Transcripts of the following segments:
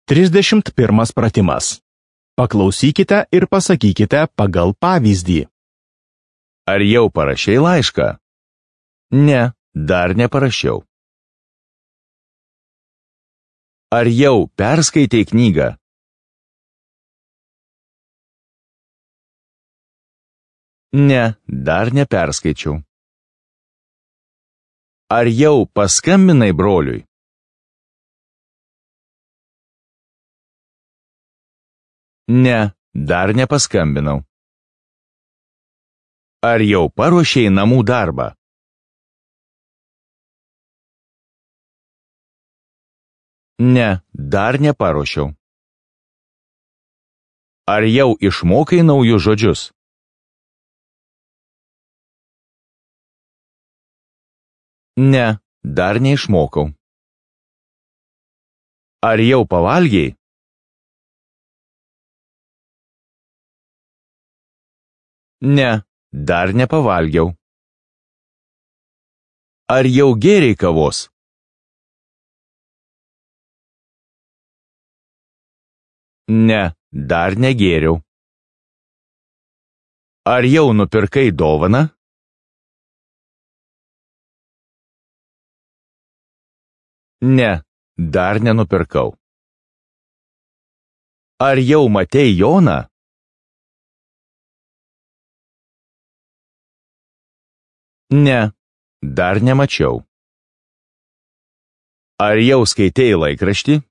31 pratimas. Paklausykite ir pasakykite pagal pavyzdį. Ar jau parašei laišką? Ne, dar neparašiau. Ar jau perskaitei knygą? Ne, dar neperskaičiau. Ar jau paskambinai broliui? Ne, dar nepaskambinau. Ar jau paruošei namų darbą? Ne, dar neparuošiau. Ar jau išmokai naujus žodžius? Ne, dar neišmokau. Ar jau pavalgei? Ne, dar nepavalgiau. Ar jau gėrei kavos? Ne, dar negėriau. Ar jau nupirkai dovaną? Ne, dar nenupirkau. Ar jau matei Joną? Ne, dar nemačiau. Ar jau skaitei laikraštį?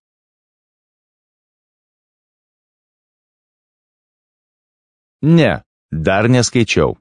Ne, dar neskaičiau.